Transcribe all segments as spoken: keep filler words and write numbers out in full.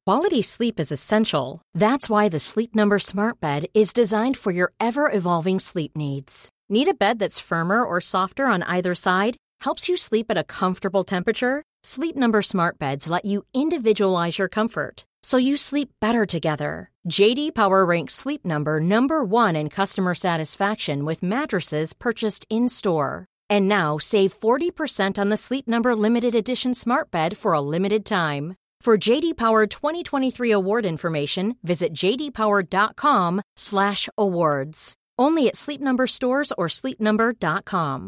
Quality sleep is essential. That's why the Sleep Number Smart Bed is designed for your ever-evolving sleep needs. Need a bed that's firmer or softer on either side? Helps you sleep at a comfortable temperature? Sleep Number Smart Beds let you individualize your comfort, so you sleep better together. J D Power ranks Sleep Number number one in customer satisfaction with mattresses purchased in-store. And now save forty percent on the Sleep Number Limited Edition Smart Bed for a limited time. For J D Power twenty twenty-three award information, visit j d power dot com slash awards. Only at Sleep Number stores or sleep number dot com.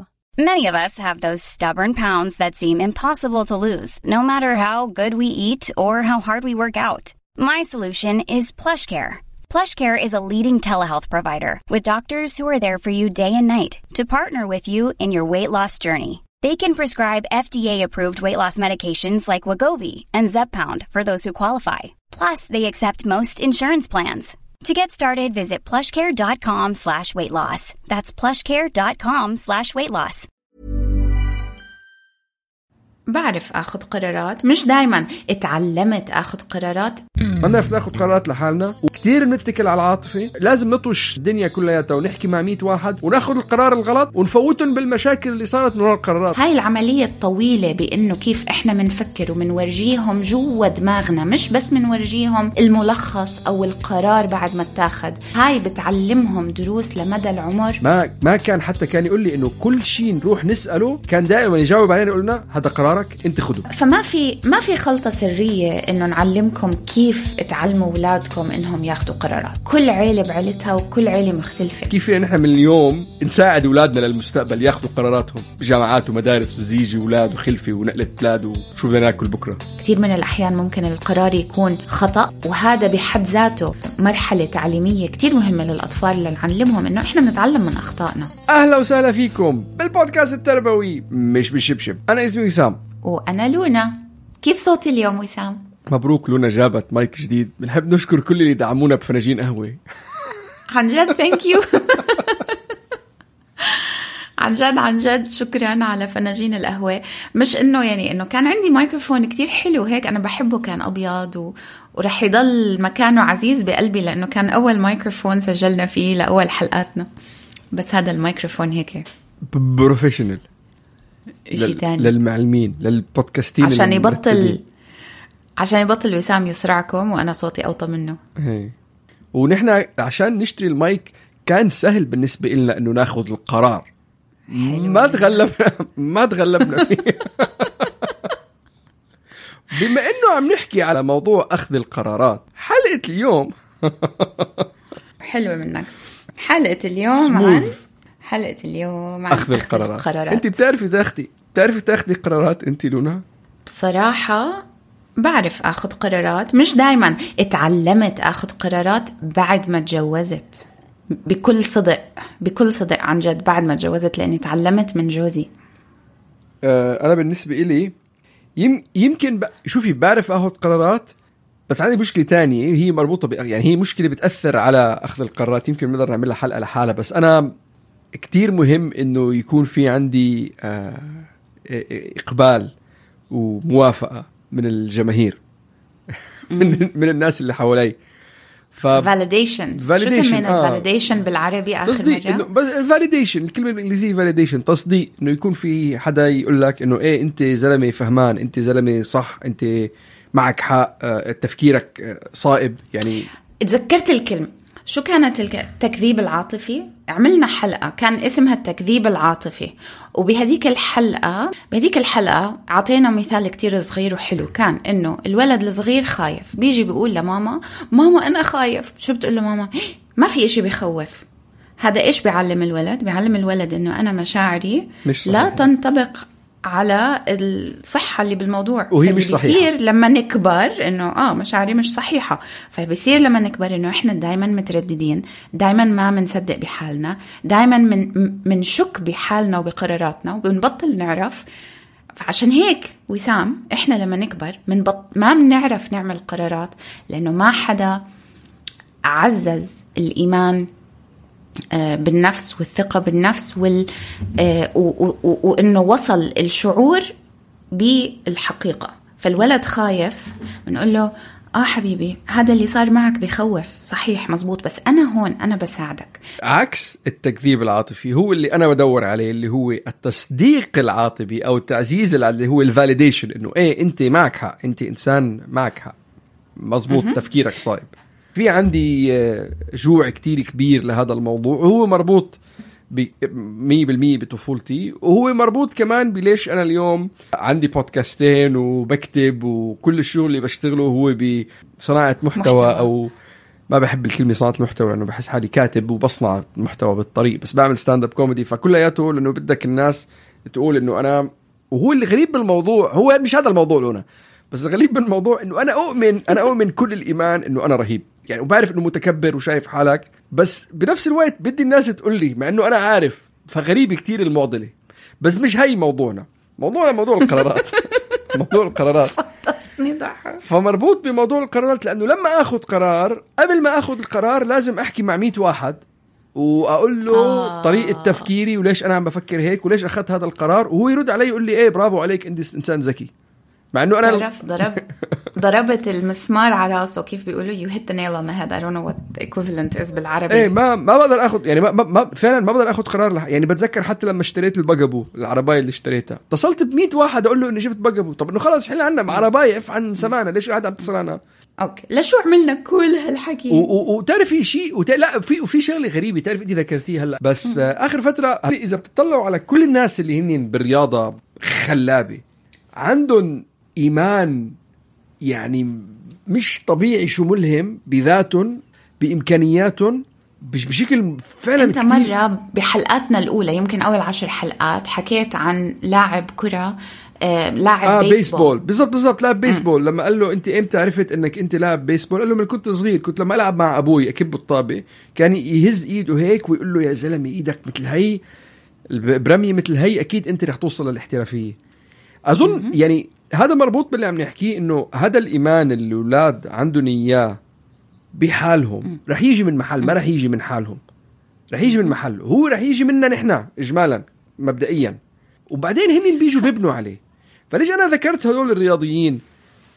Many of us have those stubborn pounds that seem impossible to lose, no matter how good we eat or how hard we work out. My solution is PlushCare. PlushCare is a leading telehealth provider with doctors who are there for you day and night to partner with you in your weight loss journey. They can prescribe F D A-approved weight loss medications like Wegovy and Zepbound for those who qualify. Plus, they accept most insurance plans. To get started, visit plushcare.com slash weight loss. That's plushcare.com slash weight loss. بعرف أخذ قرارات، مش دايما اتعلمت أخذ قرارات. ما بنعرف ناخذ قرارات لحالنا، وكتير بنتكل على العاطفة. لازم نطوش الدنيا كلياتها ونحكي مع مية واحد وناخذ القرار الغلط ونفوتهم بالمشاكل اللي صارت من وراء القرارات. هاي العملية الطويلة بأنه كيف إحنا منفكر ومنورجيهم جوا دماغنا، مش بس منورجيهم الملخص أو القرار بعد ما اتاخد. هاي بتعلمهم دروس لمدى العمر. ما ما كان حتى كان يقول لي إنه كل شيء نروح نسأله كان دائما يجاوب علينا يقول لنا هذا قرارك أنت خده. فما في ما في خلطة سرية إنه نعلمكم كيف تعلموا أولادكم إنهم ياخدوا قرارات. كل عيلة بعيلتها وكل عيلة مختلفة. كيف نحن من اليوم نساعد أولادنا للمستقبل ياخدوا قراراتهم بجامعات ومدارس وزيجي أولاد وخلفة ونقلة أولاد وشو بدنا ناكل بكرة. كثير من الأحيان ممكن القرار يكون خطأ، وهذا بحد ذاته مرحلة تعليمية كثير مهمة للأطفال اللي نعلمهم إنه إحنا بنتعلم من أخطائنا. أهلا وسهلا فيكم بالبودكاست التربوي مش بالشبشب. أنا اسمي وسام. وأنا لونا. كيف صوتي اليوم وسام؟ مبروك لونا جابت مايك جديد. بنحب نشكر كل اللي دعمونا بفناجين قهوة. عن جد ثانك يو. عن جد عن جد شكرا على فناجين القهوة. مش إنه يعني إنه كان عندي مايكروفون كتير حلو هيك أنا بحبه، كان أبيض و... ورح يضل مكانه عزيز بقلبي لأنه كان أول مايكروفون سجلنا فيه لأول حلقاتنا. بس هذا المايكروفون هيك بروفيشنال شيء تاني للمعلمين للبودكاستين عشان يبطل عشان يبطل وسام يسرعكم وأنا صوتي أوطى منه. هي. ونحن عشان نشتري المايك كان سهل بالنسبة لنا إنه ناخذ القرار. ما تغلبنا ما تغلبنا فيه. بما إنه عم نحكي على موضوع أخذ القرارات، حلقة اليوم حلوة منك. حلقة اليوم عن حلقة اليوم عن أخذ القرارات. القرارات. أنت بتعرفي تاخدي بتعرفي تاخدي قرارات أنت لونا؟ بصراحة بعرف أخذ قرارات، مش دايما اتعلمت أخذ قرارات بعد ما تجوزت. بكل صدق بكل صدق عن جد بعد ما تجوزت، لأني تعلمت من جوزي. أه أنا بالنسبة إلي يم يمكن ب... شوفي بعرف أخذ قرارات، بس عندي مشكلة تانية هي مربوطة ب... يعني هي مشكلة بتأثر على أخذ القرارات. يمكن نقدر نعملها حلقة لحالها، بس أنا كتير مهم إنه يكون في عندي أه إقبال وموافقة من الجماهير من من الناس اللي حوالي. ف validation شو سمينا آه. validation بالعربي آخر تصديق مرة؟ بس validation الكلمة بالإنجليزية validation تصديق، إنه يكون في حدا يقول لك إنه إيه أنت زلمة فهمان، أنت زلمة صح، أنت معك حق، آه تفكيرك آه صائب. يعني تذكرت الكلمة شو كانت التكذيب العاطفي. عملنا حلقة كان اسمها التكذيب العاطفي، وبهديك الحلقة بهديك الحلقة عطينا مثال كتير صغير وحلو. كان إنه الولد الصغير خايف، بيجي بيقول لماما ماما أنا خايف. شو بتقول له ماما؟ ما في إشي بيخوف. هذا إيش بيعلم الولد؟ بيعلم الولد إنه أنا مشاعري لا تنطبق على الصحة اللي بالموضوع. وهي مش صحيحة. بيصير لما نكبر إنه آه مشاعري مش صحيحة، فبيصير لما نكبر إنه إحنا دايما مترددين، دايما ما منصدق بحالنا، دايما من منشك بحالنا وبقراراتنا وبنبطل نعرف. فعشان هيك وسام إحنا لما نكبر منبط ما بنعرف نعمل قرارات، لأنه ما حدا عزز الإيمان بالنفس والثقة بالنفس وال وإنه وصل الشعور بالحقيقة. فالولد خايف بنقول له آه حبيبي، هذا اللي صار معك بخوف، صحيح مزبوط، بس أنا هون أنا بساعدك. عكس التكذيب العاطفي هو اللي أنا بدور عليه، اللي هو التصديق العاطفي أو التعزيز اللي هو الفاليديشن، إنه إيه أنت معك حق، أنت إنسان معك حق، مزبوط، م-م. تفكيرك صائب. في عندي جوع كتير كبير لهذا الموضوع، وهو مربوط مية بالمية بطفولتي، وهو مربوط كمان بليش أنا اليوم عندي بودكاستين وبكتب، وكل الشغل اللي بشتغله هو بصناعة محتوى, محتوى. أو ما بحب الكلمة صناعة المحتوى لأنه بحس حالي كاتب وبصنع محتوى بالطريق، بس بعمل ستاند اب كوميدي، فكلياته لأنه بدك الناس تقول إنه أنا. وهو اللي غريب بالموضوع هو مش هذا الموضوع لنا، بس الغريب بالموضوع إنه أنا أؤمن أنا أؤمن كل الإيمان إنه أنا رهيب يعني، وبعرف إنه متكبر وشايف حالك، بس بنفس الوقت بدي الناس تقول لي مع إنه أنا عارف. فغريب كتير المعضلة، بس مش هاي موضوعنا. موضوعنا موضوع القرارات. موضوع القرارات فمربوط بموضوع القرارات، لأنه لما أخذ قرار، قبل ما أخذ القرار لازم أحكي مع مئة واحد وأقول له آه. طريقة تفكيري وليش أنا عم بفكر هيك وليش أخذت هذا القرار، وهو يرد علي يقول لي إيه برافو عليك أنت إنسان ذكي. مع إنه أنا تعرف ضرب ضربت المسمار على راسه، كيف بيقولوا you hit the nail on the head. I don't know what the equivalent is بالعربي. إيه ما ما بقدر أخذ يعني ما, ما فعلا ما بقدر أخذ قرار لح... يعني بتذكر حتى لما اشتريت البقبو العرباية اللي اشتريتها، اتصلت بمئة واحد أقول له إني جبت بقبو. طب إنه خلاص حل عنا عرباية اف عن سمعنا، ليش قاعد عم تصل عنها؟ أوكي لشو عملنا كل هالحكي؟ وتعرف في شيء وت... لا في وفي شغلة غريبة تعرف إني ذكرتيه هلا، بس م. آخر فترة إذا بتطلعوا على كل الناس اللي هنين بالرياضة خلابة عندهم إيمان يعني مش طبيعي، شو ملهم بذاتهم بإمكانياتهم بشكل فعلا أنت كتير. مرة بحلقاتنا الأولى يمكن أول عشر حلقات حكيت عن لاعب كرة آه، لاعب آه بيسبول, بيسبول. بالضبط بالضبط لاعب بيسبول. م. لما قال له أنت إمتى عرفت أنك أنت لاعب بيسبول؟ قال له من كنت صغير، كنت لما ألعب مع أبوي أكب الطابة كان يهز إيده هيك ويقول له يا زلمة إيدك مثل هي برمية مثل هي أكيد أنت رح توصل للاحترافية. أظن م- يعني هذا مربوط باللي عم نحكيه، إنه هذا الإيمان اللي الأولاد عندهم إياه بحالهم رح يجي من محل، ما رح يجي من حالهم، رح يجي من محل، هو رح يجي منا نحنا إجمالا مبدئيا، وبعدين هنين بيجوا بيبنوا عليه. فليش أنا ذكرت هذول الرياضيين؟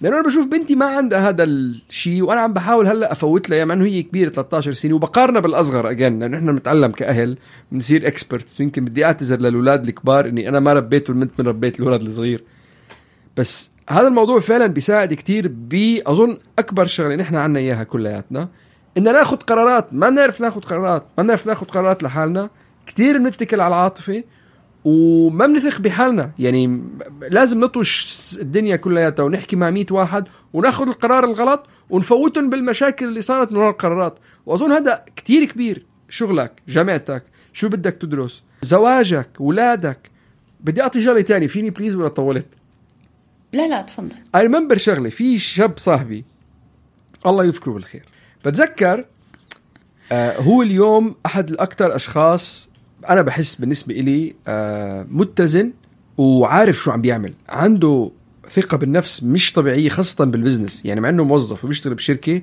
لأنه أنا بشوف بنتي ما عندها هذا الشيء، وأنا عم بحاول هلأ أفوت لها، مع أنه هي كبيرة ثلاثة عشر سنة، وبقارنها بالأصغر أجن، لأنه إحنا بنتعلم كأهل بنصير إكسبرتس. يمكن بدي أعتذر للأولاد الكبار إني أنا ما ربيت والمنت من ربيت الأولاد الصغير، بس هذا الموضوع فعلا بيساعد كتير. بأظن أكبر شغلة نحن عنا إياها كلياتنا إن ناخد قرارات، ما نعرف ناخد قرارات، ما نعرف ناخد قرارات لحالنا، كتير بنتكل على العاطفة وما بنثق بحالنا. يعني لازم نطوش الدنيا كلياتها ونحكي مع مئة واحد وناخد القرار الغلط ونفوتهم بالمشاكل اللي صارت من القرارات. وأظن هذا كتير كبير. شغلك، جامعتك، شو بدك تدرس، زواجك، ولادك. بدي أعطي شغلة تاني فيني بليز ولا طولت؟ لا لا تفضل. I remember شغلة في شاب صاحبي الله يذكره بالخير، بتذكر آه هو اليوم أحد الأكثر أشخاص أنا بحس بالنسبة إلي آه متزن وعارف شو عم بيعمل، عنده ثقة بالنفس مش طبيعية خاصة بالبزنس. يعني مع أنه موظف وبيشتغل بشركة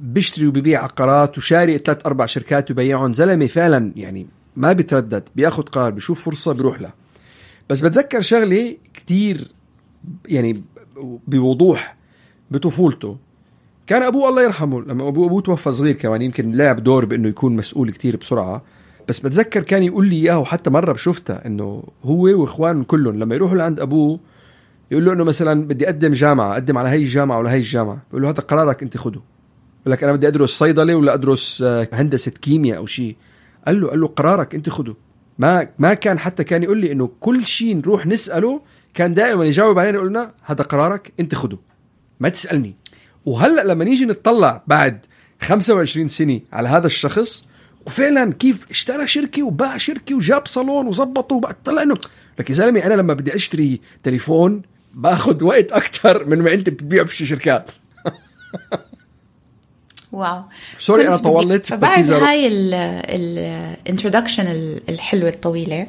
بيشتري وبيبيع عقارات وشاري ثلاث أربع شركات وبيعهم، زلمة فعلا يعني ما بيتردد، بياخد قرار، بيشوف فرصة بيروح لها. بس بتذكر شغلة كتير يعني بوضوح بطفولته، كان أبوه الله يرحمه لما أبوه أبوه توفى صغير كمان، يمكن لعب دور بأنه يكون مسؤول كتير بسرعة. بس بتذكر كان يقول لي إياه، وحتى مرة بشوفته إنه هو وإخوان كلهم لما يروحوا لعند أبوه يقول له إنه مثلا بدي أقدم جامعة، أقدم على هاي الجامعة ولا هاي الجامعة، يقول له هذا قرارك أنت خده. يقول لك أنا بدي أدرس صيدلة ولا أدرس هندسة كيمياء أو شيء، قال له قال له قرارك أنت خده. ما ما كان حتى كان يقول لي إنه كل شيء نروح نسأله كان دائما يجاوب علينا يقولنا هذا قرارك أنت خده، ما تسألني. وهلأ لما نيجي نتطلع بعد خمسة وعشرين سنة على هذا الشخص، وفعلا كيف اشترى شركة وباع شركة وجاب صالون وزبطه، وبعد طلع إنه لك يا زلمي أنا لما بدي أشتري تليفون باخد وقت أكتر من ما أنت بتبيع بشي شركات. واو سوري أنا طولت. فبعد هاي الانترودكشن الحلوة الطويلة،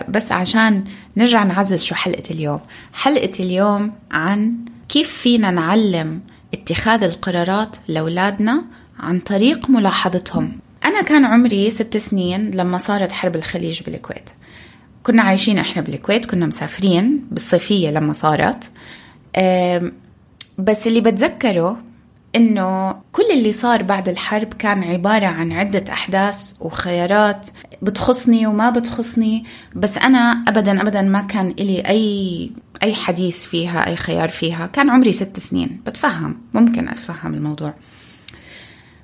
بس عشان نرجع نعزز شو حلقة اليوم. حلقة اليوم عن كيف فينا نعلم اتخاذ القرارات لأولادنا عن طريق ملاحظتهم. أنا كان عمري ست سنين لما صارت حرب الخليج بالكويت. كنا عايشين إحنا بالكويت، كنا مسافرين بالصيفية لما صارت. بس اللي بتذكره إنه كل اللي صار بعد الحرب كان عبارة عن عدة أحداث وخيارات بتخصني وما بتخصني، بس أنا أبدا أبدا ما كان إلي أي أي حديث فيها، أي خيار فيها. كان عمري ست سنين، بتفهم، ممكن أتفهم الموضوع.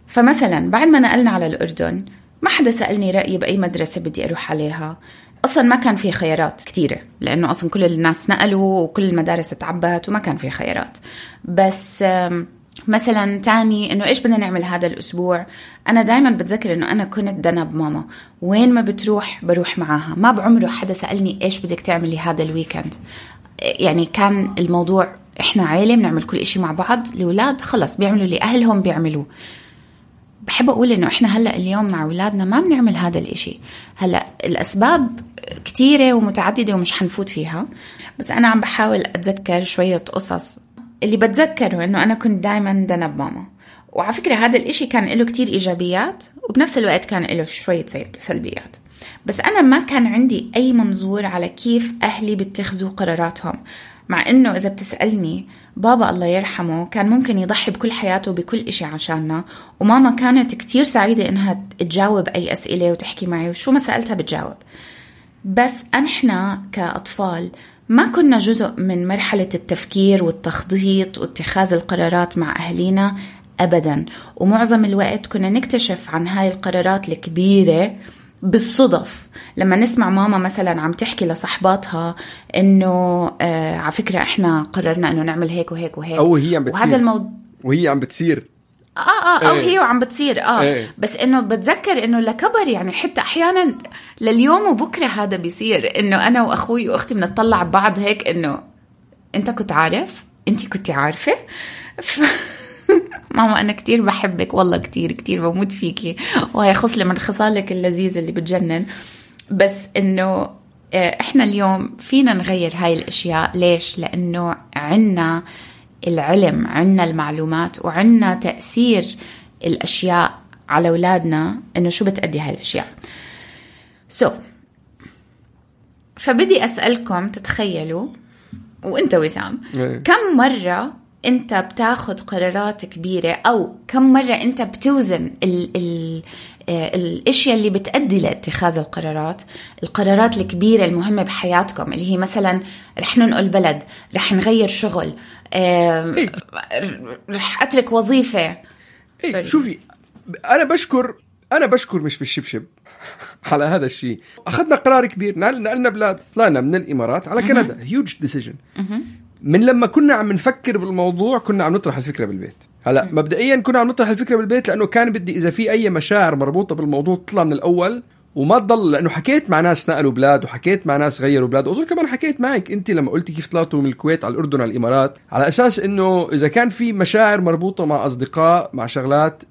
فمثلا بعد ما نقلنا على الأردن ما حدا سألني رأيي بأي مدرسة بدي أروح عليها. أصلا ما كان في خيارات كتيرة، لأنه أصلا كل الناس نقلوا وكل المدارس تعبت وما كان في خيارات. بس مثلا تاني إنه إيش بدنا نعمل هذا الأسبوع، أنا دايما بتذكر إنه أنا كنت دنب ماما، وين ما بتروح بروح معاها. ما بعمره حدا سألني إيش بدك تعملي هذا الويكند. يعني كان الموضوع إحنا عائلة بنعمل كل إشي مع بعض، الأولاد خلص بيعملوا اللي أهلهم بيعملوه. بحب أقول إنه إحنا هلأ اليوم مع أولادنا ما بنعمل هذا الإشي. هلأ الأسباب كتيرة ومتعددة ومش حنفوت فيها، بس أنا عم بحاول أتذكر شوية قصص. اللي بتذكره إنه أنا كنت دايما دنب ماما، وعلى فكرة هذا الإشي كان له كتير إيجابيات وبنفس الوقت كان له شوية سلبيات. بس أنا ما كان عندي أي منظور على كيف أهلي بيتخذوا قراراتهم، مع إنه إذا بتسألني بابا الله يرحمه كان ممكن يضحي بكل حياته بكل إشي عشاننا، وماما كانت كتير سعيدة إنها تجاوب أي أسئلة وتحكي معي وشو ما سألتها بتجاوب. بس إحنا كأطفال ما كنا جزء من مرحلة التفكير والتخطيط واتخاذ القرارات مع أهلينا أبدا، ومعظم الوقت كنا نكتشف عن هاي القرارات الكبيرة بالصدف. لما نسمع ماما مثلا عم تحكي لصحباتها إنه آه على فكرة إحنا قررنا إنه نعمل هيك وهيك وهيك، أو هي عم بتصير، وهذا الموضوع وهي عم بتصير آه آه أو ايه. هي وعم بتصير آه ايه. بس إنه بتذكر إنه لكبر، يعني حتى أحيانا لليوم وبكرة هذا بيصير، إنه أنا وأخوي وأختي بنطلع بعض هيك إنه أنت كنت عارف، أنتي كنت عارفة ف... ماما أنا كتير بحبك، والله كتير كتير بموت فيكي، وهي خصلة من خصالك اللذيذة اللي بتجنن. بس إنه إحنا اليوم فينا نغير هاي الأشياء. ليش؟ لأنه عنا العلم، عنا المعلومات، وعنا تأثير الأشياء على أولادنا إنه شو بتأدي هاي الأشياء. سو so, فبدي أسألكم تتخيلوا، وإنت وسام كم مرة أنت بتاخد قرارات كبيرة، أو كم مرة أنت بتوزن ال ال الاشياء اللي بتأدي لاتخاذ القرارات، القرارات الكبيرة المهمة بحياتكم، اللي هي مثلا رح ننقل بلد، رح نغير شغل، إيه؟ رح أترك وظيفة. إيه؟ شوفي أنا بشكر أنا بشكر مش بالشبشب على هذا الشيء. أخذنا قرار كبير، نقلنا بلاد، طلعنا من الإمارات على كندا، هيوج ديسيجن. من لما كنا عم نفكر بالموضوع كنا عم نطرح الفكرة بالبيت. هلا مبدئيا كنا عم نطرح الفكرة بالبيت لأنه كان بدي إذا في أي مشاعر مربوطة بالموضوع تطلع من الأول وما تضل، لأنه حكيت مع ناس نقلوا بلاد وحكيت مع ناس غيروا بلاد، وأظن كمان حكيت معك أنت لما قلتي كيف طلعتوا من الكويت على الأردن على الإمارات، على أساس إنه إذا كان في مشاعر مربوطة مع أصدقاء مع شغلات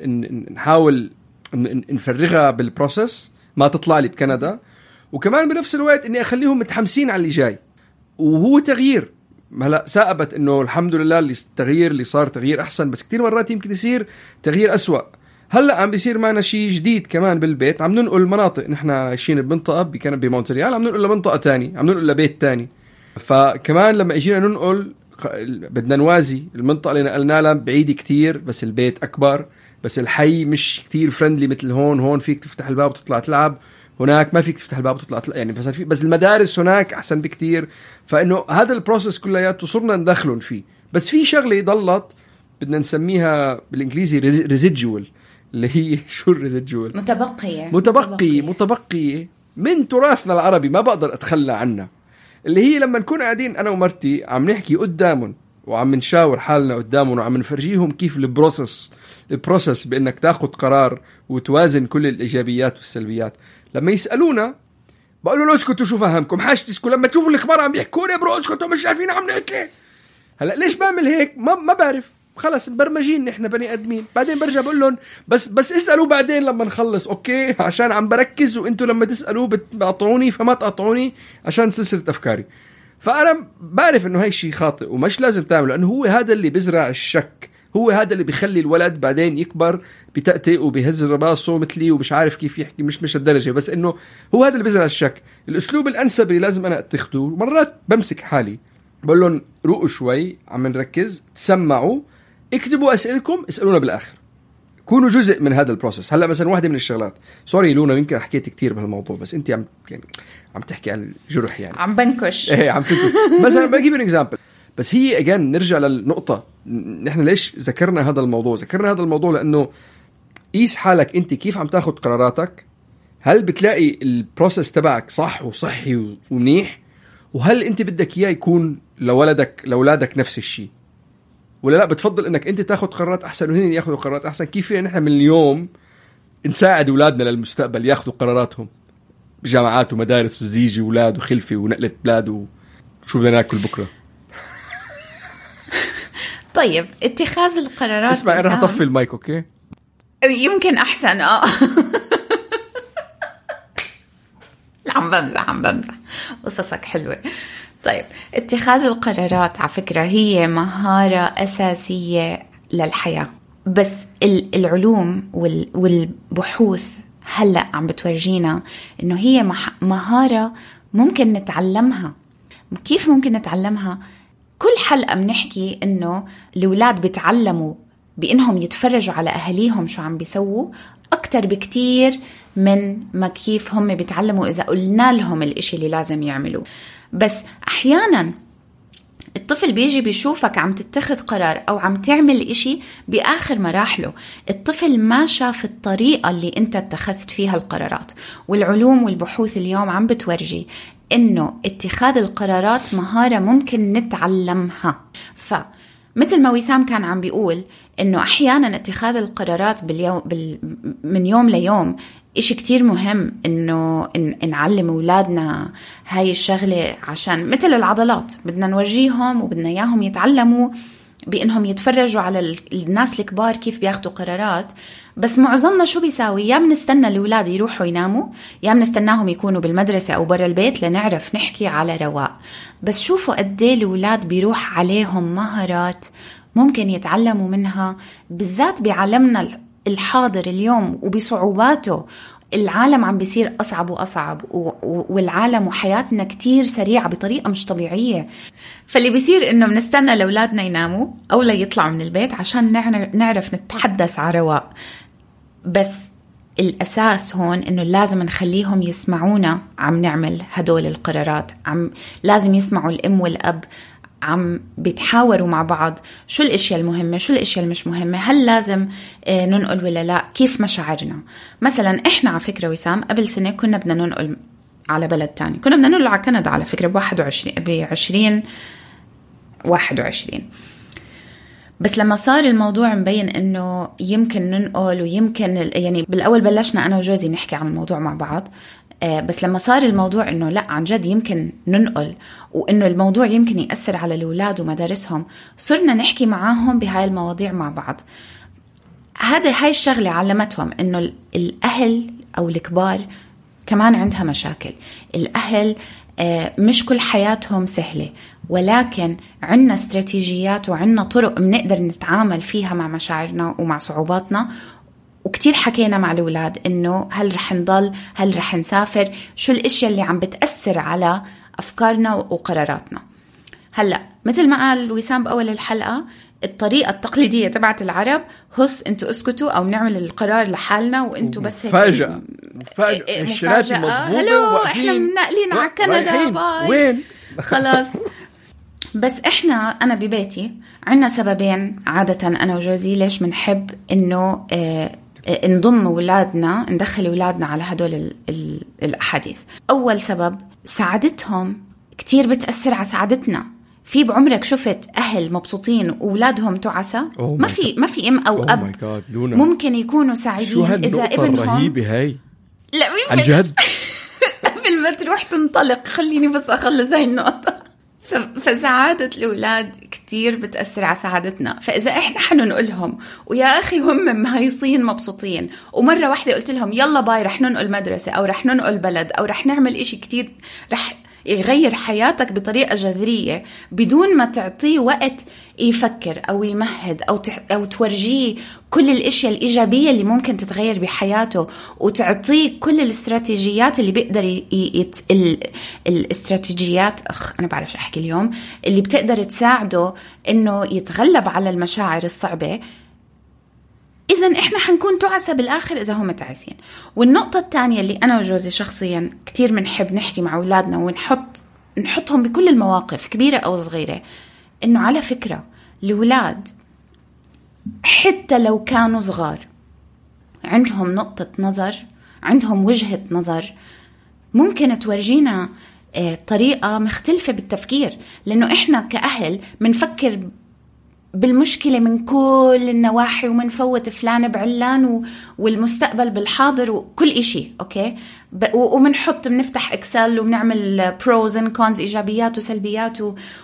نحاول نفرغها بالبروسس ما تطلع لي بكندا، وكمان بنفس الوقت إني أخليهم متحمسين على اللي جاي. وهو تغيير، هلا ثابت انه الحمد لله اللي التغيير اللي صار تغيير احسن، بس كتير مرات يمكن يصير تغيير اسوأ. هلا عم بيصير معنا شيء جديد كمان بالبيت، عم ننقل مناطق، نحن عايشين بمنطقه بكندا بمونتريال، عم ننقل لمنطقه تاني، عم ننقل لبيت تاني. فكمان لما اجينا ننقل بدنا نوازي، المنطقه اللي نقلنا لها بعيده كتير بس البيت اكبر، بس الحي مش كتير فريندلي مثل هون. هون فيك تفتح الباب وتطلع تلعب، هناك ما فيك تفتح الباب وتطلع تلعب، يعني بس في بس المدارس هناك احسن بكتير. فانه هذا البروسيس كلياته صرنا ندخلون فيه. بس في شغله ضلت بدنا نسميها بالانجليزي ريزيدجوال، اللي هي شو الريزيدجوال؟ متبقيه متبقي متبقيه من تراثنا العربي، ما بقدر اتخلى عنها، اللي هي لما نكون قاعدين انا ومرتي عم نحكي قدامهم وعم نشاور حالنا قدامهم وعم نفرجيهم كيف البروسيس البروسيس بانك تاخذ قرار وتوازن كل الايجابيات والسلبيات. لما يسالونا بقول له اسكتوا شو فهمكم حاج تسكتوا، لما تشوفوا الاخبار عم يحكوا لي برو اسكتوا مش شايفين عم نحكي. هلا ليش بعمل هيك؟ ما ما بعرف، خلص مبرمجين نحن بني ادمين. بعدين برجع بقول لهم بس بس اسالوا بعدين لما نخلص، اوكي؟ عشان عم بركز وانتوا لما تسالوا بتقطعوني، فما تقطعوني عشان سلسله افكاري. فانا بعرف انه هاي الشيء خاطئ ومش لازم تعمله، لانه هو هذا اللي بزرع الشك، هو هذا اللي بيخلي الولد بعدين يكبر بتأتئ وبيهز راسه مثلي ومش عارف كيف يحكي، مش مش الدرجة، بس إنه هو هذا اللي بيزرع الشك. الأسلوب الأنسب اللي لازم أنا أتخذه، مرات بمسك حالي بقول لهم روقوا شوي، عم نركز، تسمعوا، اكتبوا أسئلتكم، اسألونا بالآخر، كونوا جزء من هذا البروسيس. هلا مثلا واحدة من الشغلات، سوري لونا يمكن حكيت كتير بهالموضوع، بس انت عم يعني عم تحكي عن الجرح يعني عم بنكش ايه عم تنكش مثلا بجيب اكزامبل. بس هي اجان نرجع للنقطة، نحن ليش ذكرنا هذا الموضوع؟ ذكرنا هذا الموضوع لأنه قيس حالك انت كيف عم تاخد قراراتك، هل بتلاقي البروسيس تبعك صح وصحي ومنيح، وهل انت بدك اياه يكون لولدك لأولادك نفس الشيء، ولا لا بتفضل انك انت تاخد قرارات احسن وهن ياخذوا قرارات احسن؟ كيف فينا نحن من اليوم نساعد اولادنا للمستقبل ياخذوا قراراتهم بجامعات ومدارس وزيجي اولاد وخلفه ونقله بلاد وشو بدنا ناكل بكره؟ طيب اتخاذ القرارات، اسمع انا رح اطفي المايك اوكي؟ يمكن احسن اه عم بمزح عم بمزح قصصك حلوه. طيب اتخاذ القرارات على فكرة هي مهارة أساسية للحياة، بس العلوم والبحوث هلأ عم بتورجينا إنه هي مهارة ممكن نتعلمها. كيف ممكن نتعلمها؟ كل حلقة بنحكي إنه الأولاد بيتعلموا بإنهم يتفرجوا على أهليهم شو عم بيسووا أكتر بكتير من ما كيف هم بيتعلموا إذا قلنا لهم الإشي اللي لازم يعملوه. بس أحياناً الطفل بيجي بيشوفك عم تتخذ قرار أو عم تعمل إشي بآخر مراحله، الطفل ما شاف الطريقة اللي أنت اتخذت فيها القرارات. والعلوم والبحوث اليوم عم بتورجي إنه اتخاذ القرارات مهارة ممكن نتعلمها. فمثل ما وسام كان عم بيقول إنه أحياناً اتخاذ القرارات باليوم بال... من يوم ليوم إشي كتير مهم إنه إن نعلم أولادنا هاي الشغلة، عشان مثل العضلات بدنا نورجيهم وبدنا إياهم يتعلموا بإنهم يتفرجوا على الناس الكبار كيف بياخدوا قرارات. بس معظمنا شو بيساوي؟ يا بنستنى الأولاد يروحوا يناموا، يا بنستناهم يكونوا بالمدرسة أو برا البيت لنعرف نحكي على رواق. بس شوفوا قديه الأولاد بيروح عليهم مهارات ممكن يتعلموا منها، بالذات بعالمنا الحاضر اليوم وبصعوباته. العالم عم بيصير أصعب وأصعب، والعالم وحياتنا كتير سريعة بطريقة مش طبيعية. فاللي بيصير إنه بنستنى لأولادنا يناموا أو لا يطلعوا من البيت عشان نعرف نتحدث على رواق. بس الأساس هون إنه لازم نخليهم يسمعونا عم نعمل هدول القرارات، عم لازم يسمعوا الأم والأب عم بيتحاوروا مع بعض شو الاشياء المهمه شو الاشياء المش مهمه، هل لازم ننقل ولا لا، كيف مشاعرنا. مثلا احنا على فكره وسام قبل سنه كنا بدنا ننقل على بلد تاني، كنا بدنا ننقل على كندا على فكره بواحد وعشرين بعشرين واحد وعشرين. بس لما صار الموضوع مبين انه يمكن ننقل ويمكن يعني بالاول بلشنا انا وجوزي نحكي عن الموضوع مع بعض، بس لما صار الموضوع إنه لا عن جد يمكن ننقل وإنه الموضوع يمكن يأثر على الأولاد ومدارسهم، صرنا نحكي معاهم بهاي المواضيع مع بعض. هذا هاي الشغلة علمتهم إنه الأهل أو الكبار كمان عندها مشاكل. الأهل مش كل حياتهم سهلة، ولكن عنا استراتيجيات وعنا طرق بنقدر نتعامل فيها مع مشاعرنا ومع صعوباتنا. وكتير حكينا مع الأولاد إنه هل رح نضل، هل رح نسافر، شو الاشياء اللي عم بتأثر على أفكارنا وقراراتنا. هلأ مثل ما قال وسام بأول الحلقة، الطريقة التقليدية تبعت العرب هس انتوا اسكتوا او نعمل القرار لحالنا وانتوا بس هيك مفاجأة مفاجأة الشرات مضبوطة احنا منقلين على كندا باي وين خلاص. بس احنا انا ببيتي عنا سببين عادة انا وجوزي ليش منحب انه اه نضم أولادنا ندخل أولادنا على هدول ال ال الأحاديث. أول سبب سعادتهم كتير بتأثر على سعادتنا. في بعمرك شفت أهل مبسوطين وأولادهم تعسى؟ ما في ما في أم أو أب ممكن يكونوا سعيدين إذا ابنهم رهيبة هاي. لا عن جد قبل ما تروح تنطلق خليني بس أخلص هاي النقطة. فسعادة الأولاد كتير بتأثر على سعادتنا. فإذا إحنا حننقلهم ويا أخي هم مهيصين مبسوطين ومرة واحدة قلت لهم يلا باي رح ننقل مدرسة أو رح ننقل بلد أو رح نعمل إشي كتير رح يغير حياتك بطريقة جذرية بدون ما تعطيه وقت يفكر أو يمهد أو أو تورجيه كل الأشياء الإيجابية اللي ممكن تتغير بحياته، وتعطيه كل الاستراتيجيات اللي بيقدر ي... يت... ال... الاستراتيجيات أخ أنا بعرفش أحكي اليوم اللي بتقدر تساعده إنه يتغلب على المشاعر الصعبة. إذن إحنا حنكون تعسى بالآخر إذا هم تعسين. والنقطة الثانية اللي أنا وجوزي شخصيا كتير منحب نحكي مع أولادنا ونحط نحطهم بكل المواقف كبيرة أو صغيرة، إنه على فكرة الأولاد حتى لو كانوا صغار عندهم نقطة نظر، عندهم وجهة نظر ممكن تورجينا طريقة مختلفة بالتفكير، لأنه إحنا كأهل منفكر بالمشكلة من كل النواحي ومنفوت فلان بعلان والمستقبل بالحاضر وكل إشي أوكي، ومنحط بنفتح إكسل وبنعمل pros and cons إيجابيات وسلبيات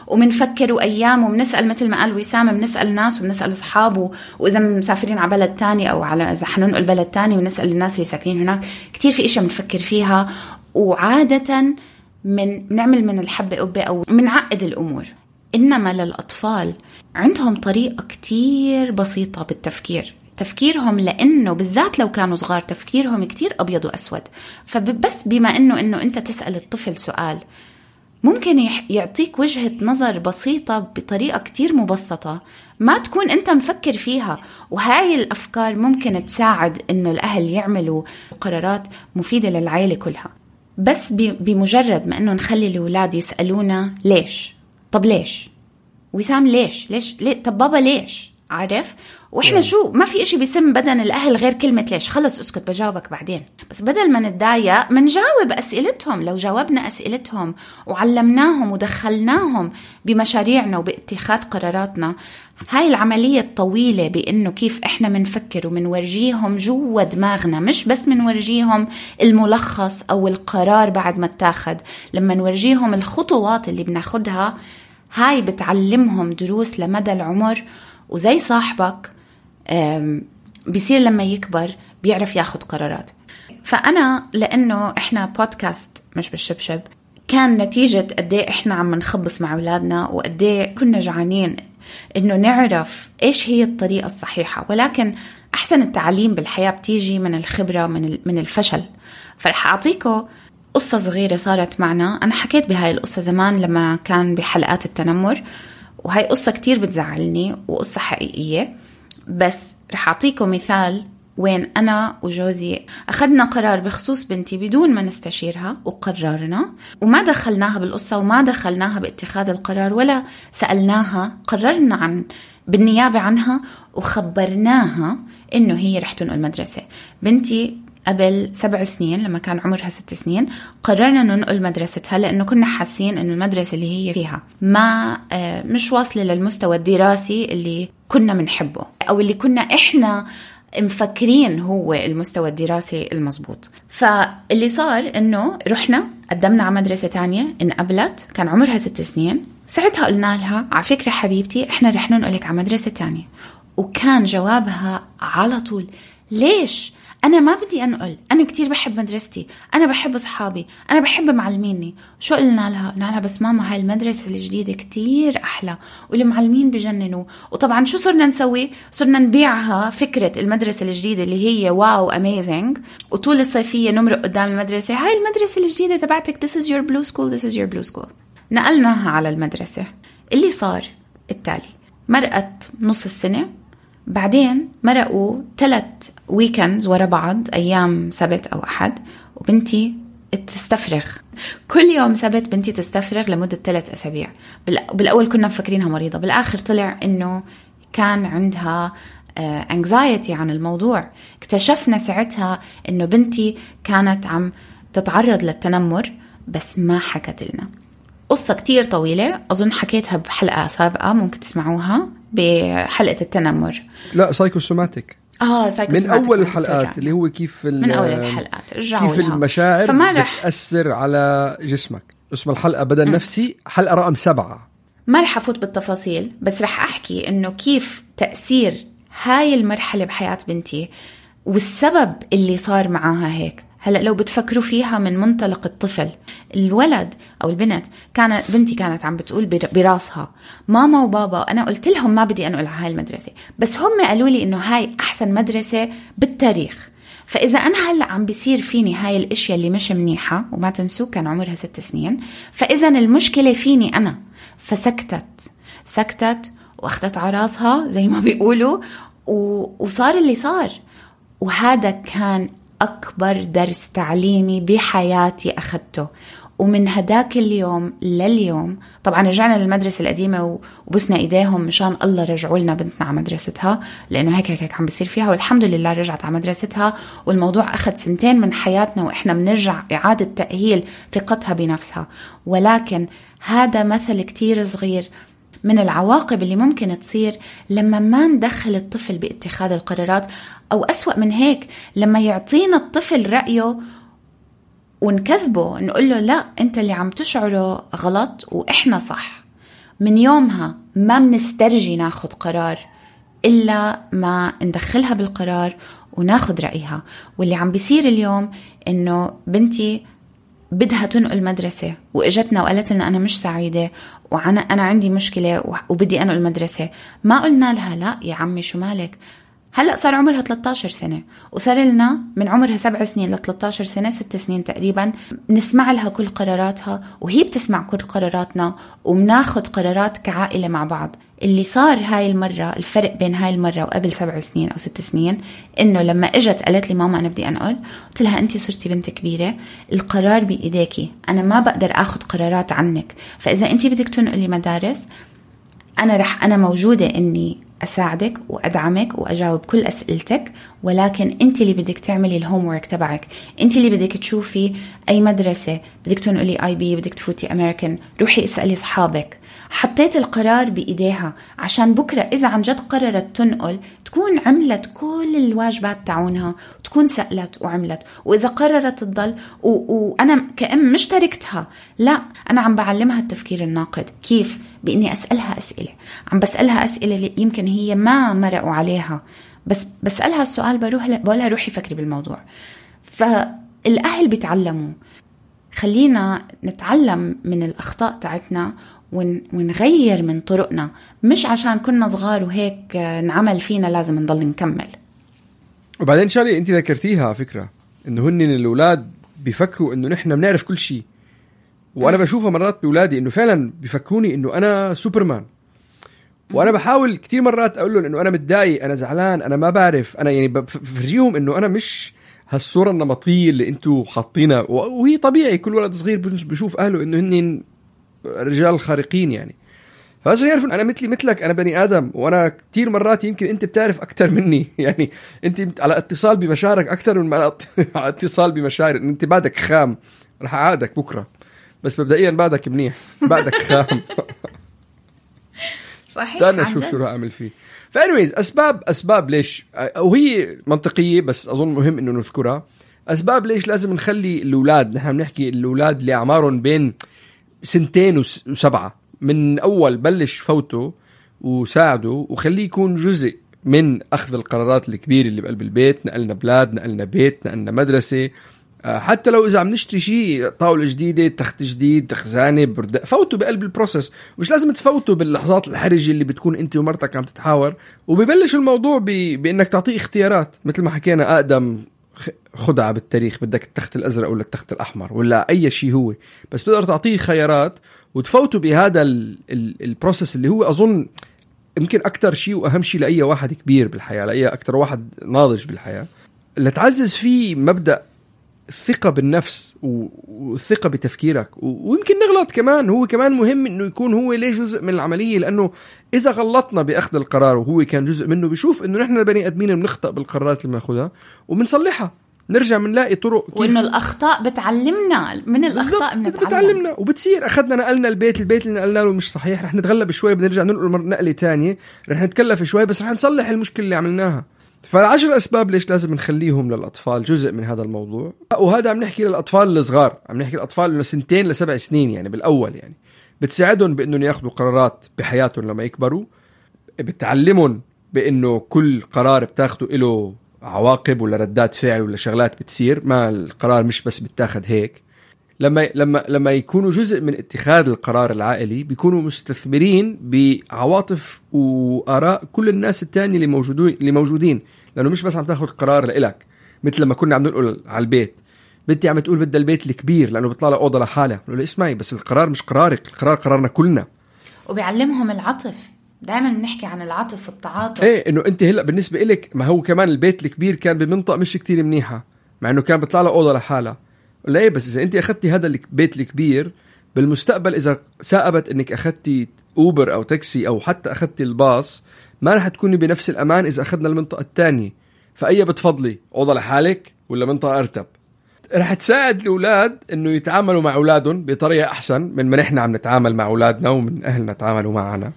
ومنفكر وأيام ومنسأل مثل ما قال وسام، بنسأل ناس وبنسأل أصحابه، وإذا مسافرين على بلد تاني أو على إذا حننقل بلد تاني ونسأل الناس اللي ساكنين هناك. كتير في إشي بنفكر فيها، وعادة من نعمل من الحبة قبة أو منعقد الأمور. إنما للأطفال عندهم طريقة كتير بسيطة بالتفكير، تفكيرهم لأنه بالذات لو كانوا صغار تفكيرهم كتير أبيض وأسود. فبس بما أنه أنه أنت تسأل الطفل سؤال ممكن يعطيك وجهة نظر بسيطة بطريقة كتير مبسطة ما تكون أنت مفكر فيها، وهاي الأفكار ممكن تساعد أنه الأهل يعملوا قرارات مفيدة للعائلة كلها. بس بمجرد ما أنه نخلي الأولاد يسألونا ليش، طب ليش وسام، ليش ليش ليه؟ طب بابا ليش، عارف؟ واحنا شو ما في اشي بيسم بدن الاهل غير كلمة ليش. خلص اسكت بجاوبك بعدين. بس بدل ما نتضايق منجاوب اسئلتهم. لو جاوبنا اسئلتهم وعلمناهم ودخلناهم بمشاريعنا وباتخاذ قراراتنا، هاي العملية الطويلة بانه كيف احنا منفكر ومنورجيهم جوا دماغنا، مش بس منورجيهم الملخص او القرار بعد ما اتاخد، لما نورجيهم الخطوات اللي بناخدها هاي بتعلمهم دروس لمدى العمر. وزي صاحبك بيصير لما يكبر بيعرف ياخد قرارات. فأنا لأنه إحنا بودكاست مش بالشبشب، كان نتيجة قديه إحنا عم نخبص مع أولادنا وقديه كنا جعانين إنه نعرف إيش هي الطريقة الصحيحة. ولكن أحسن التعليم بالحياة بتيجي من الخبرة من من الفشل. فرح أعطيكم قصة صغيرة صارت معنا. أنا حكيت بهاي القصة زمان لما كان بحلقات التنمر، وهي قصة كتير بتزعلني وقصة حقيقية. بس رح أعطيكم مثال وين أنا وجوزي أخذنا قرار بخصوص بنتي بدون ما نستشيرها وقررنا، وما دخلناها بالقصة وما دخلناها باتخاذ القرار ولا سألناها. قررنا عن بالنيابة عنها وخبرناها إنه هي رح تنقل مدرسة. بنتي قبل سبع سنين لما كان عمرها ست سنين قررنا ننقل مدرستها، لأنه كنا حاسين أنه المدرسة اللي هي فيها ما مش واصلة للمستوى الدراسي اللي كنا منحبه أو اللي كنا إحنا مفكرين هو المستوى الدراسي المزبوط. فاللي صار أنه رحنا قدمنا على مدرسة تانية، انقبلت، كان عمرها ست سنين. ساعتها قلنا لها على فكرة حبيبتي إحنا رح ننقلك على مدرسة تانية. وكان جوابها على طول ليش؟ أنا ما بدي أنقل، أنا كتير بحب مدرستي، أنا بحب أصحابي، أنا بحب معلميني. شو قلنا لها؟ قلنا لها بس ماما هاي المدرسة الجديدة كتير أحلى والمعلمين بجننوا. وطبعا شو صرنا نسوي؟ صرنا نبيعها فكرة المدرسة الجديدة اللي هي واو أميزنج، وطول الصيفية نمرق قدام المدرسة هاي المدرسة الجديدة تبعتك، this is your blue school, this is your blue school. نقلناها على المدرسة. اللي صار التالي، مرقت نص السنة، بعدين مرقوا ثلاث ويكندز ورا بعض، أيام سبت أو أحد، وبنتي تستفرغ كل يوم سبت. بنتي تستفرغ لمدة ثلاث أسابيع. بالأول كنا مفكرينها مريضة، بالآخر طلع إنه كان عندها anxiety عن الموضوع. اكتشفنا ساعتها إنه بنتي كانت عم تتعرض للتنمر بس ما حكت لنا. قصة كتير طويلة، أظن حكيتها بحلقة سابقة ممكن تسمعوها بحلقة التنمر. لا سايكوسوماتيك. آه سايكوسوماتيك من أول الحلقات اللي هو كيف من أول الحلقات كيف المشاعر بتأثر على جسمك. اسم الحلقة بدل نفسي، حلقة رقم سبعة. ما رح أفوت بالتفاصيل، بس رح أحكي إنه كيف تأثير هاي المرحلة بحياة بنتي والسبب اللي صار معاها هيك. هلأ لو بتفكروا فيها من منطلق الطفل، الولد أو البنت، كانت بنتي كانت عم بتقول براسها ماما وبابا أنا قلت لهم ما بدي أنقل على هاي المدرسة، بس هم قالوا لي إنه هاي أحسن مدرسة بالتاريخ. فإذا أنا هلأ عم بيصير فيني هاي الأشياء اللي مش منيحة، وما تنسوا كان عمرها ست سنين، فإذا المشكلة فيني أنا. فسكتت سكتت واخدت عراسها زي ما بيقولوا، وصار اللي صار. وهذا كان أكبر درس تعليمي بحياتي أخذته. ومن هداك اليوم لليوم طبعا رجعنا للمدرسة القديمة وبسنا إيديهم مشان الله رجعوا لنا بنتنا على مدرستها، لأنه هيك هيك عم بيصير فيها، والحمد لله رجعت على مدرستها. والموضوع أخذ سنتين من حياتنا وإحنا بنرجع إعادة تأهيل ثقتها بنفسها. ولكن هذا مثل كتير صغير من العواقب اللي ممكن تصير لما ما ندخل الطفل باتخاذ القرارات، أو أسوأ من هيك لما يعطينا الطفل رأيه ونكذبه، نقول له لا أنت اللي عم تشعره غلط وإحنا صح. من يومها ما منسترجي ناخد قرار إلا ما ندخلها بالقرار وناخد رأيها. واللي عم بيصير اليوم إنه بنتي بدها تنقل مدرسة وإجتنا وقالت لنا أنا مش سعيدة وأنا أنا عندي مشكلة وبدي أنقل مدرسة، ما قلنا لها لا يا عمي شو مالك. هلأ صار عمرها ثلاثة عشر سنة، وصار لنا من عمرها سبع سنين ل ثلاثة عشر سنة، ست سنين تقريبا، نسمع لها كل قراراتها وهي بتسمع كل قراراتنا، ومناخد قرارات كعائلة مع بعض. اللي صار هاي المرة، الفرق بين هاي المرة وقبل سبع سنين أو ست سنين، إنه لما إجت قالت لي ماما أنا بدي أنقل، قلت لها أنتي صرتي بنت كبيرة، القرار بإيديكي، أنا ما بقدر أخذ قرارات عنك. فإذا أنتي بدك تنقلي مدارس، أنا رح أنا موجودة إني أساعدك وأدعمك وأجاوب كل أسئلتك، ولكن أنت اللي بدك تعملي الهوم ورك تبعك، أنت اللي بدك تشوفي أي مدرسة بدك تنقلي آي بي، بدك تفوتي أمريكان، روحي اسألي صحابك. حطيت القرار بإيديها عشان بكرة إذا عن جد قررت تنقل تكون عملت كل الواجبات تعونها، تكون سألت وعملت. وإذا قررت تضل و... وأنا كأم مش تركتها، لا أنا عم بعلمها التفكير الناقد. كيف؟ بإني أسألها أسئلة، عم بسألها أسئلة اللي يمكن هي ما مرقوا عليها، بس بسألها السؤال بروح ل... بقولها روحي فكري بالموضوع. فالأهل بيتعلموا، خلينا نتعلم من الأخطاء تاعتنا ونغير من طرقنا، مش عشان كنا صغار وهيك نعمل فينا لازم نضل نكمل. وبعدين شاري انت ذكرتيها فكرة انه هن الأولاد بيفكروا انه نحن بنعرف كل شيء، وانا بشوفها مرات بأولادي انه فعلا بيفكروني انه انا سوبرمان، وانا بحاول كتير مرات اقول لهم انه انا متضايق، انا زعلان، انا ما بعرف، انا يعني بفرجيهم انه انا مش هالصورة النمطية اللي انتوا حاطينها. وهي طبيعي كل ولد صغير بيشوف اهله انه هن رجال خارقين يعني. فبس يعرفون انا مثلي مثلك، انا بني ادم، وانا كتير مرات يمكن انت بتعرف اكتر مني، يعني انت على اتصال بمشاعرك اكتر من على اتصال بمشاعر. انت بعدك خام، رح اعادك بكره، بس مبدئيا بعدك منيح، بعدك خام. صحيح. استنى شوف شو راح اعمل فيه. فانويز اسباب اسباب ليش، وهي منطقيه بس اظن مهم انه نذكرها. اسباب ليش لازم نخلي الاولاد، نحن بنحكي الاولاد اللي اعمارهم بين سنتين وسبعة، من أول بلش فوته وساعده وخليه يكون جزء من أخذ القرارات الكبيرة اللي بقلب البيت. نقلنا بلاد، نقلنا بيت، نقلنا مدرسة، حتى لو إذا عم نشتري شيء، طاولة جديدة، تخت جديد، خزانة، برد، فوتوا بقلب البروسس. مش لازم تفوتوا باللحظات الحرجة اللي بتكون أنت ومرتك عم تتحاور. وبيبلش الموضوع ب... بأنك تعطيه اختيارات، مثل ما حكينا أقدم خدعة بالتاريخ، بدك التخت الأزرق ولا التخت الأحمر ولا أي شيء هو، بس تقدر تعطيه خيارات وتفوتوا بهذا البروسس اللي هو أظن يمكن أكتر شيء وأهم شيء لأي واحد كبير بالحياة، لأي أكتر واحد ناضج بالحياة، اللي تعزز فيه مبدأ الثقة بالنفس والثقة بتفكيرك. ويمكن نغلط كمان، هو كمان مهم إنه يكون هو ليه جزء من العملية، لأنه إذا غلطنا بأخذ القرار وهو كان جزء منه، بيشوف إنه نحن البني آدمين بنخطأ بالقرارات اللي بناخذها وبنصلحها، نرجع منلاقي طرق، وإنه الأخطاء بتعلمنا، من الأخطاء بنتعلم، بتعلمنا وبتصير. أخذنا نقلنا البيت، البيت اللي نقلنا له مش صحيح، رح نتغلب شوي، بنرجع ننقل نقلة تانية، رح نتكلف شوي، بس رح نصلح المشكلة اللي عملناها. فالعشر أسباب ليش لازم نخليهم للأطفال جزء من هذا الموضوع. وهذا عم نحكي للأطفال الصغار، عم نحكي للأطفال من سنتين لسبع سنين، يعني بالأول يعني بتساعدهم بأنهم ياخدوا قرارات بحياتهم لما يكبروا، بتعلمهم بأنه كل قرار بتاخده له عواقب ولا ردات فعل ولا شغلات بتصير، ما القرار مش بس بتاخد هيك. لما لما لما يكونوا جزء من اتخاذ القرار العائلي بيكونوا مستثمرين بعواطف وآراء كل الناس التانية اللي موجودين اللي موجودين لأنه مش بس عم تاخد قرار لإلك. مثل لما كنا عم نقول على البيت، بنتي عم تقول بدها البيت الكبير لأنه بيطلع لها أوضة لحالها، بقول له اسمعي بس القرار مش قرارك، القرار قرارنا كلنا. وبيعلمهم العطف، دائما نحكي عن العطف والتعاطف. ايه انه انت هلا بالنسبه إلك، ما هو كمان البيت الكبير كان بمنطقه مش كتير منيحه مع انه كان بيطلع لها اوضه لحالها. لا ايه بس اذا انت اخذتي هذا البيت الكبير بالمستقبل، اذا ثاقبت انك اخذتي اوبر او تاكسي او حتى اخذتي الباص، ما رح تكوني بنفس الامان اذا اخذنا المنطقه الثانيه. فاي بتفضلي اوضه لحالك ولا منطقه ارتب؟ رح تساعد الاولاد انه يتعاملوا مع اولادهم بطريقه احسن من ما نحن عم نتعامل مع اولادنا ومن اهلنا تعاملوا معنا.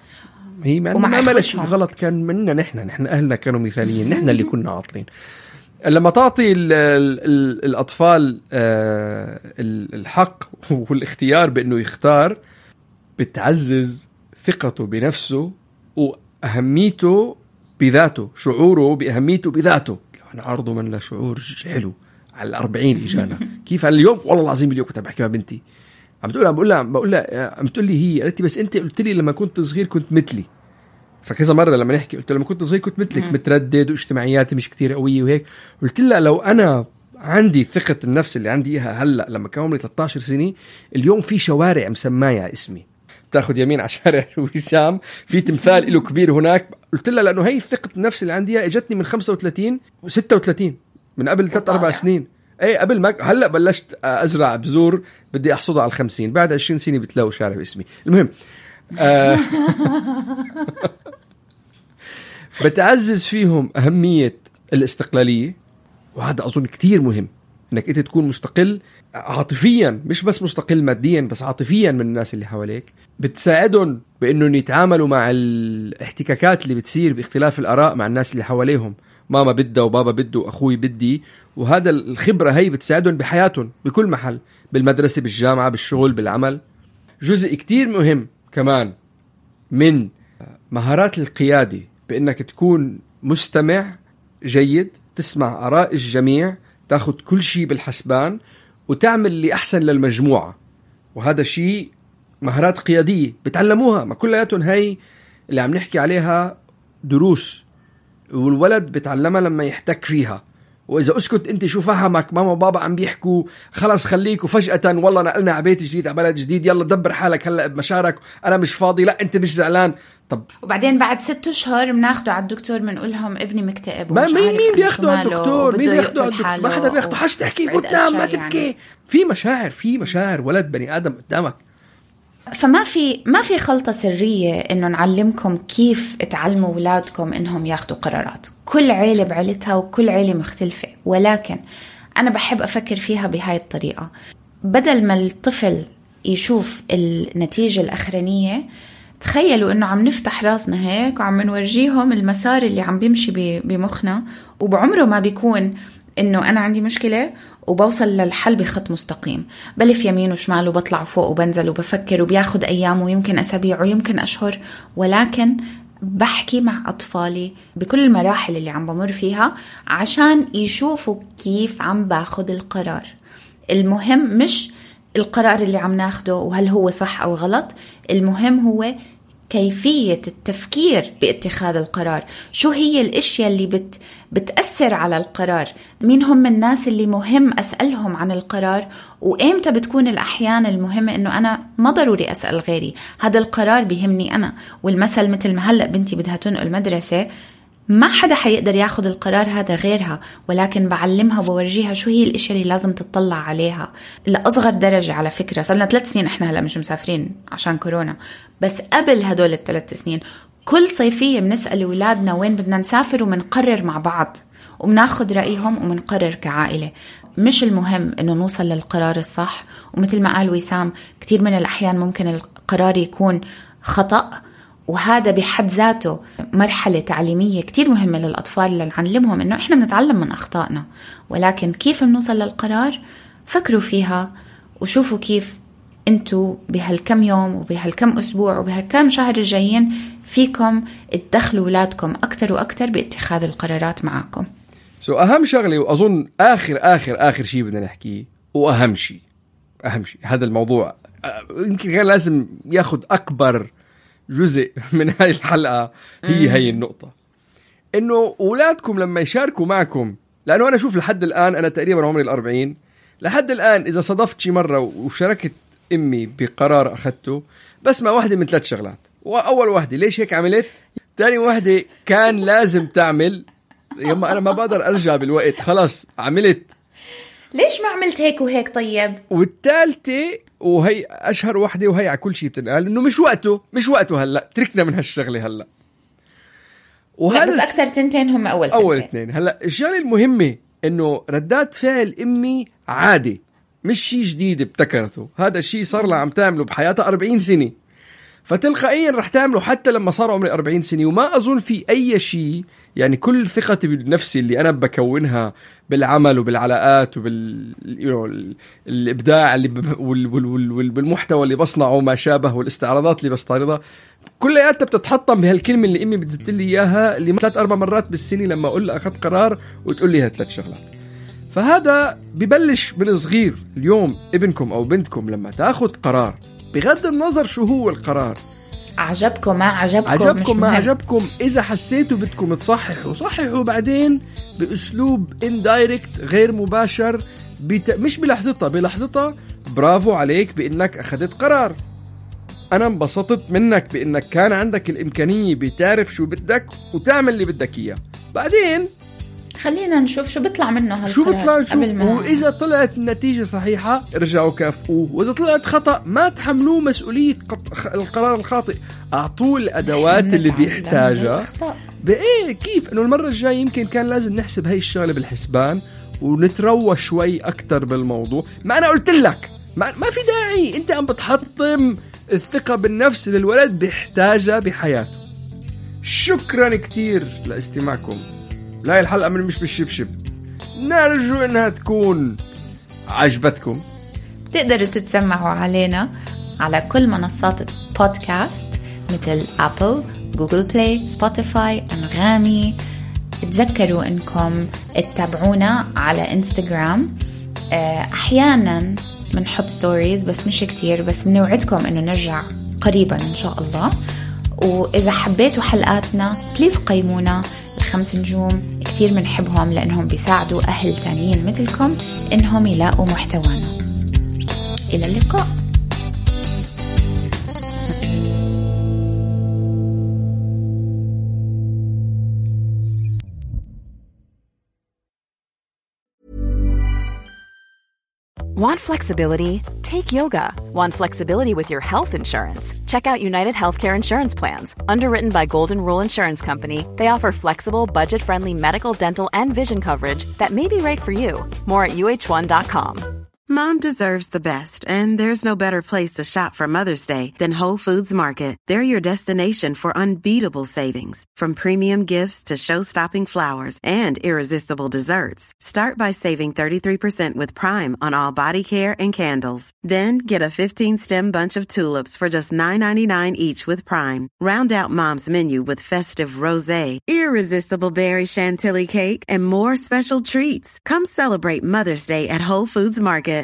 هي ما ما شيء غلط كان مننا، نحن نحن أهلنا كانوا مثاليين، نحن اللي كنا عاطلين. لما تعطي ال ال ال الأطفال آه الحق والاختيار بأنه يختار، بتعزز ثقته بنفسه وأهميته بذاته، شعوره بأهميته بذاته. أنا عرضه من له شعور حلو على الأربعين إجانا كيف على اليوم. والله العظيم اليوم كنت بحكي مع بنتي، عم بتقول عم بقول لها بقول لها عم تقول لي هي قالت لي بس انت قلت لي لما كنت صغير كنت مثلي. فكذا مره لما نحكي قلت لها لما كنت صغير كنت مثلك، متردد واجتماعياتي مش كتير قويه وهيك. قلت لها لو انا عندي ثقه النفس اللي عندي اياها هلا لما كان عمري ثلاثة عشر سنه، اليوم في شوارع مسمايه اسمي، بتاخذ يمين على شارع وسام في تمثال له كبير هناك. قلت لها لانه هي ثقه النفس اللي عندي اجتني من خمسة وثلاثين وستة وثلاثين من قبل ثلاث اربع سنين. ايه قبل ما هلا بلشت ازرع بذور بدي احصدها على الخمسين، بعد عشرين سنه بتلاقوا شارع باسمي. المهم آه بتعزز فيهم اهميه الاستقلاليه، وهذا اظن كتير مهم انك انت تكون مستقل عاطفيا، مش بس مستقل ماديا بس عاطفيا من الناس اللي حواليك. بتساعدهم بانهم يتعاملوا مع الاحتكاكات اللي بتصير باختلاف الاراء مع الناس اللي حواليهم، ماما بدها وبابا بده واخوي بدي. وهذا الخبرة هي بتساعدهم بحياتهم بكل محل، بالمدرسة بالجامعة بالشغل بالعمل. جزء كتير مهم كمان من مهارات القيادة بأنك تكون مستمع جيد، تسمع آراء الجميع، تاخد كل شيء بالحسبان وتعمل اللي أحسن للمجموعة. وهذا شيء مهارات قيادية بتعلموها، ما كلياتهم هي اللي عم نحكي عليها دروس، والولد بتعلمها لما يحتك فيها. وإذا أسكت أنت شو فهمك ماما وبابا عم بيحكوا خلاص خليك، وفجأة والله نقلنا على بيت جديد على بلد جديد يلا دبر حالك هلأ بمشارك، أنا مش فاضي، لا أنت مش زعلان. طب وبعدين بعد ست أشهر بناخده على الدكتور بنقول لهم ابني مكتئب. ما مين مين بياخده على الدكتور؟ مين بياخده على الدكتور؟ ما حدا بياخده. حاش تحكي وتنام ما تبكي يعني. في مشاعر في مشاعر ولد بني آدم قدامك. فما في ما في خلطة سرية إنه نعلمكم كيف تعلموا أولادكم إنهم ياخدوا قرارات. كل عيلة بعيلتها وكل عيلة مختلفة، ولكن أنا بحب أفكر فيها بهاي الطريقة. بدل ما الطفل يشوف النتيجة الأخرانية، تخيلوا إنه عم نفتح راسنا هيك وعم نورجيهم المسار اللي عم بيمشي بمخنا، وبعمره ما بيكون إنه أنا عندي مشكلة وبوصل للحل بخط مستقيم، بلف يمين وشمال وبطلع فوق وبنزل وبفكر، وبياخد أيام ويمكن أسابيع ويمكن أشهر. ولكن بحكي مع أطفالي بكل المراحل اللي عم بمر فيها عشان يشوفوا كيف عم باخد القرار. المهم مش القرار اللي عم ناخده وهل هو صح أو غلط، المهم هو كيفية التفكير باتخاذ القرار. شو هي الاشياء اللي بت بتأثر على القرار، مين هم الناس اللي مهم أسألهم عن القرار، وإمتى بتكون الأحيان المهمة إنه أنا ما ضروري أسأل غيري، هذا القرار بيهمني أنا. والمثل مثل ما هلأ بنتي بدها تنقل مدرسة، ما حدا حيقدر ياخد القرار هذا غيرها، ولكن بعلمها وبورجيها شو هي الاشياء اللي لازم تطلع عليها لأصغر درجة. على فكرة صرنا ثلاث سنين احنا هلا مش مسافرين عشان كورونا، بس قبل هدول الثلاث سنين كل صيفية بنسأل أولادنا وين بدنا نسافر ومنقرر مع بعض وبناخد رأيهم ومنقرر كعائلة. مش المهم إنه نوصل للقرار الصح، ومثل ما قال وسام كتير من الأحيان ممكن القرار يكون خطأ، وهذا بحد ذاته مرحلة تعليمية كتير مهمة للأطفال لنعلمهم إنه إحنا بنتعلم من أخطائنا. ولكن كيف بنوصل للقرار فكروا فيها وشوفوا كيف أنتوا بهالكم يوم وبهالكم أسبوع وبهالكم شهر الجايين فيكم تدخلوا أولادكم أكتر وأكتر باتخاذ القرارات معكم. سو أهم شغلة وأظن آخر آخر آخر شيء بدنا نحكيه وأهم شيء أهم شيء هذا الموضوع يمكن غير لازم ياخد أكبر جزء من هاي الحلقة هي هاي النقطة إنه أولادكم لما يشاركوا معكم، لأنه أنا شوف لحد الآن أنا تقريبا عمري الأربعين، لحد الآن إذا صدفت شي مرة وشاركت أمي بقرار أخذته بس مع واحدة من ثلاث شغلات. وأول واحدة ليش هيك عملت، تاني واحدة كان لازم تعمل، يما أنا ما بقدر أرجع بالوقت خلاص عملت، ليش ما عملت هيك وهيك طيب. والثالثة وهي أشهر واحدة وهي على كل شيء بتنقال إنه مش وقته مش وقته هلأ، تركنا من هالشغلة هلأ. وهذا بس أكتر تنتين هم أول تنتين. أول اثنين. هلأ الشغلة المهمة إنه ردات فعل أمي عادي مش شيء جديد ابتكرته، هذا الشيء صار لها عم تعمله بحياتها أربعين سنة، فتلقائيا رح تعمله حتى لما صار عمري أربعين سنة. وما أظن في أي شيء يعني كل ثقتي بالنفس اللي أنا بكونها بالعمل وبالعلاقات وبالإبداع اللي ب... وال... وال... وال... بالمحتوى اللي بصنعه وما شابه والاستعراضات اللي بستعرضها كلها بتتحطم بهالكلمة اللي أمي بدت لي إياها اللي ثلاث أربع مرات بالسنة لما أقول لها أخذت قرار وتقول لي هالثلاث شغلات. فهذا ببلش من صغير. اليوم ابنكم أو بنتكم لما تأخذ قرار بغض النظر شو هو القرار، عجبكم ما عجبكم عجبكم ما عجبكم، إذا حسيتوا بدكم تصححوا صححوا بعدين بأسلوب indirect غير مباشر بت... مش بلحظتها بلحظتها برافو عليك بإنك أخذت قرار، أنا انبسطت منك بإنك كان عندك الإمكانية بتعرف شو بدك وتعمل اللي بدك إياه. بعدين خلينا نشوف شو بيطلع منه هالقرار شو بيطلع شو ما... وإذا طلعت النتيجة صحيحة ارجعوا كافئوه، وإذا طلعت خطأ ما تحملوه مسؤولية قط... القرار الخاطئ، أعطوه الأدوات اللي بيحتاجها بإيه كيف إنه المرة الجاية يمكن كان لازم نحسب هاي الشغلة بالحسبان ونتروى شوي أكتر بالموضوع. ما أنا قلت لك ما, ما في داعي أنت عم بتحطم الثقة بالنفس للولد بيحتاجها بحياته. شكرا كتير لاستماعكم لا الحلقة من مش بالشبشب، نرجو انها تكون عجبتكم. تقدروا تتسمعوا علينا على كل منصات البودكاست مثل أبل، جوجل بلاي، سبوتيفاي، أنغامي. تذكروا انكم تتابعونا على انستغرام، احيانا بنحط ستوريز بس مش كتير، بس بنوعدكم انه نرجع قريبا ان شاء الله. واذا حبيتوا حلقاتنا بليز قيمونا الخمس نجوم، كتير بنحبهم لانهم بيساعدوا اهل تانيين مثلكم انهم يلاقوا محتوانا. الى اللقاء. Want flexibility? Take yoga. Want flexibility with your health insurance? Check out United Healthcare Insurance Plans. Underwritten by Golden Rule Insurance Company, they offer flexible, budget-friendly medical, dental, and vision coverage that may be right for you. More at U H one dot com. Mom deserves the best, and there's no better place to shop for Mother's Day than Whole Foods Market. They're your destination for unbeatable savings, from premium gifts to show-stopping flowers and irresistible desserts. Start by saving thirty-three percent with Prime on all body care and candles. Then get a fifteen-stem bunch of tulips for just nine ninety-nine each with Prime. Round out Mom's menu with festive rosé, irresistible berry chantilly cake, and more special treats. Come celebrate Mother's Day at Whole Foods Market.